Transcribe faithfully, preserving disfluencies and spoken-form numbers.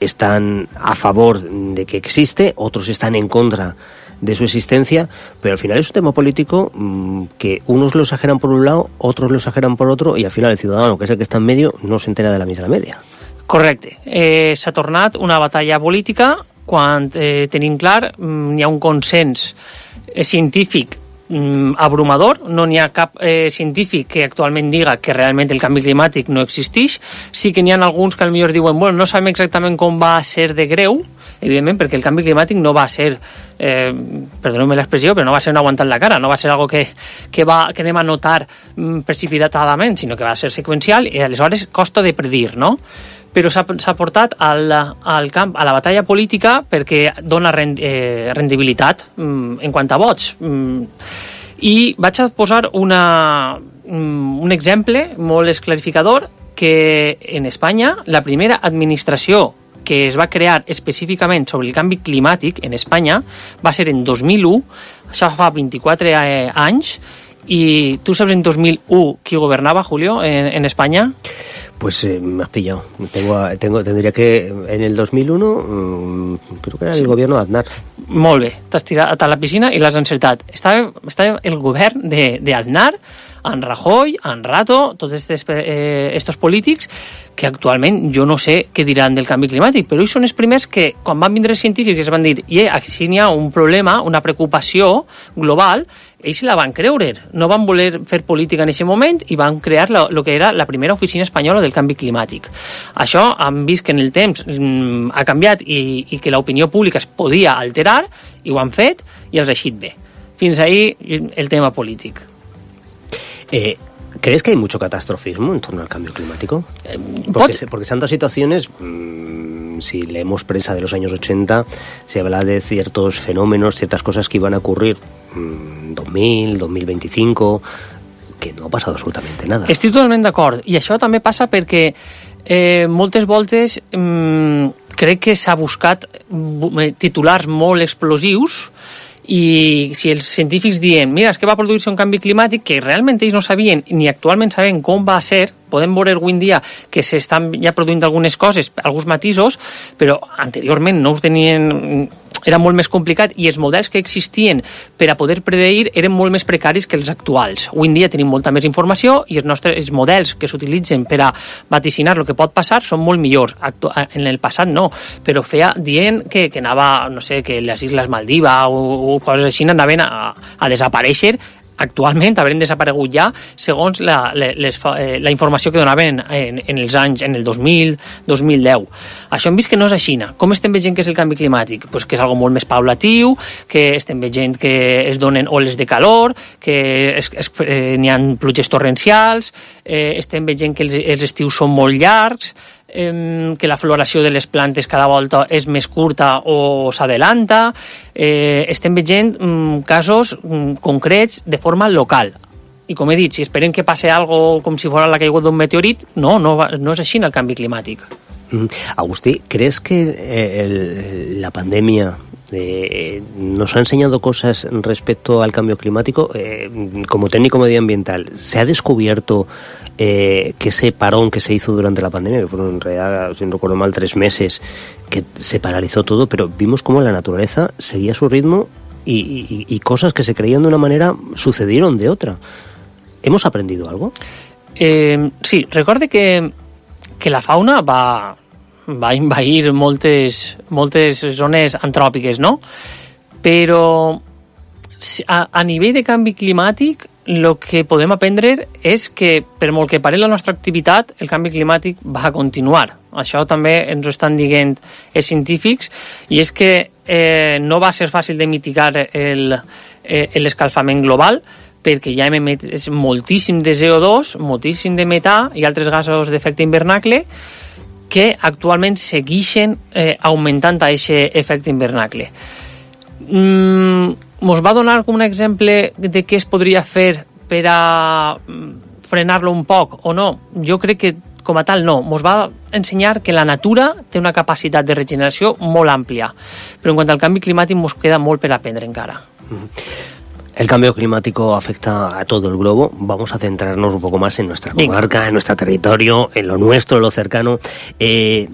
están a favor de que existe, otros están en contra de su existencia, pero al final es un tema político mmm, que unos lo exageran por un lado, otros lo exageran por otro, i al final el ciudadano, que és el que està en medio, no s'entera de la misma media. Correcte. Eh, s'ha tornat una batalla política quan eh, tenim clar mm, hi ha un consens eh, científic mm, abrumador, no n'hi ha cap eh, científic que actualment diga que realment el canvi climàtic no existeix. Sí que n'hi ha alguns que potser diuen bueno, no sabem exactament com va ser de greu, evidentment, perquè el canvi climàtic no va ser, eh, perdoneu-me l'expressió, però no va ser un aguantant la cara, no va ser algo que, que, va, que anem a notar mm, precipitadament, sinó que va ser seqüencial i aleshores costa de predir, no? Però s'ha portat al, al camp, a la batalla política perquè dona rend, eh, rendibilitat mm, en quant a vots. Mm, I vaig a posar una, mm, un exemple molt esclarificador que en Espanya la primera administració que es va crear específicament sobre el canvi climàtic en Espanya va ser en dos mil u, això fa vint-i-quatre anys, i tu saps en dos mil u qui governava, Julio, en, en Espanya? Pues eh, me has pillado. Tengo, tengo, tendría que, en el dos mil uno, mmm, creo que era el sí. gobierno de Aznar. Molt bé, t'has tirat a la piscina i l'has encertat. Estava, estava el govern d'Aznar, en Rajoy, en Rato, tots estos, eh, estos polítics que actualment jo no sé què diran del canvi climàtic, però ells són els primers que, quan van vindre els científics, es van dir i aquí hi ha un problema, una preocupació global, ells la van creure, no van voler fer política en aquest moment i van crear el que era la primera oficina espanyola del canvi climàtic. Això han vist que en el temps mm, ha canviat i, i que l'opinió pública es podia alterar i ho han fet i els ha eixit bé. Fins ahí el tema polític. Eh, ¿Crees que hay mucho catastrofismo en torno al cambio climático? Porque, se, porque se han dado situaciones, mmm, si leemos prensa de los años ochenta, se habla de ciertos fenómenos, ciertas cosas que iban a ocurrir mmm, dos mil, dos mil veinticinco, que no ha passat absolutament nada. Estic totalment d'acord, i això també passa perquè eh, moltes voltes mmm, crec que s'ha buscat titulars molt explosius i si els científics diem mira, és que va produir-se un canvi climàtic que realment ells no sabien ni actualment sabem com va ser, podem veure avui en dia que s'estan ja produint algunes coses, alguns matisos, però anteriorment no ho tenien, era molt més complicat i els models que existien per a poder predir eren molt més precaris que els actuals. Avui en dia tenim molta més informació i els nostres els models que s'utilitzen per a vaticinar el que pot passar són molt millors. Actu en el passat no, però feia dient que, que anava, no sé, que les Isles Maldiva o, o coses així anaven a, a desaparèixer. Actualment haurem desaparegut ja segons la, les, la informació que donaven en, en els anys, en el dos mil, dos mil deu. Això hem vist que no és així. Com estem veient que és el canvi climàtic? Pues que és algo molt més paulatiu, que estem veient que es donen oles de calor, que es, es, eh, n'hi ha pluges torrencials, eh, estem veient que els, els estius són molt llargs, eh, que la floració de les plantes cada volta és més curta o s'adelanta. Eh, estem veient mm, casos mm, concrets de forma local. I com he dit, si esperem que passi algo com si fos la caiguda d'un meteorit, no, no, no és així en el canvi climàtic. Mm. Agustí, ¿crees que eh, el, la pandemia eh, nos ha enseñado cosas respecto al cambio climático? Eh, como técnico medioambiental, ¿se ha descubierto eh, que ese parón que se hizo durante la pandemia, que fueron en realidad, si no recuerdo mal, tres meses, que se paralizó todo, pero vimos cómo la naturaleza seguía su ritmo y, y, y cosas que se creían de una manera sucedieron de otra? ¿Hemos aprendido algo? Eh, sí, recorde que, que la fauna va, va invair moltes, moltes zones antròpiques, no? Però a, a nivell de canvi climàtic el que podem aprendre és que per molt que pare la nostra activitat el canvi climàtic va a continuar. Això també ens ho estan dient els científics i és que eh, no va ser fàcil de mitigar l'escalfament global perquè ja hem emès moltíssim de C O dos, moltíssim de metà i altres gasos d'efecte hivernacle que actualment segueixen eh, augmentant aquest efecte hivernacle. Mm, mos va donar com un exemple de què es podria fer per a frenar-lo un poc o no? Jo crec que com a tal no. Mos va ensenyar que la natura té una capacitat de regeneració molt àmplia, però en quant al canvi climàtic mos queda molt per aprendre encara. El cambio climático afecta a todo el globo. Vamos a centrarnos un poco más en nuestra comarca, en nuestro territorio, en lo nuestro, en lo cercano. Eh,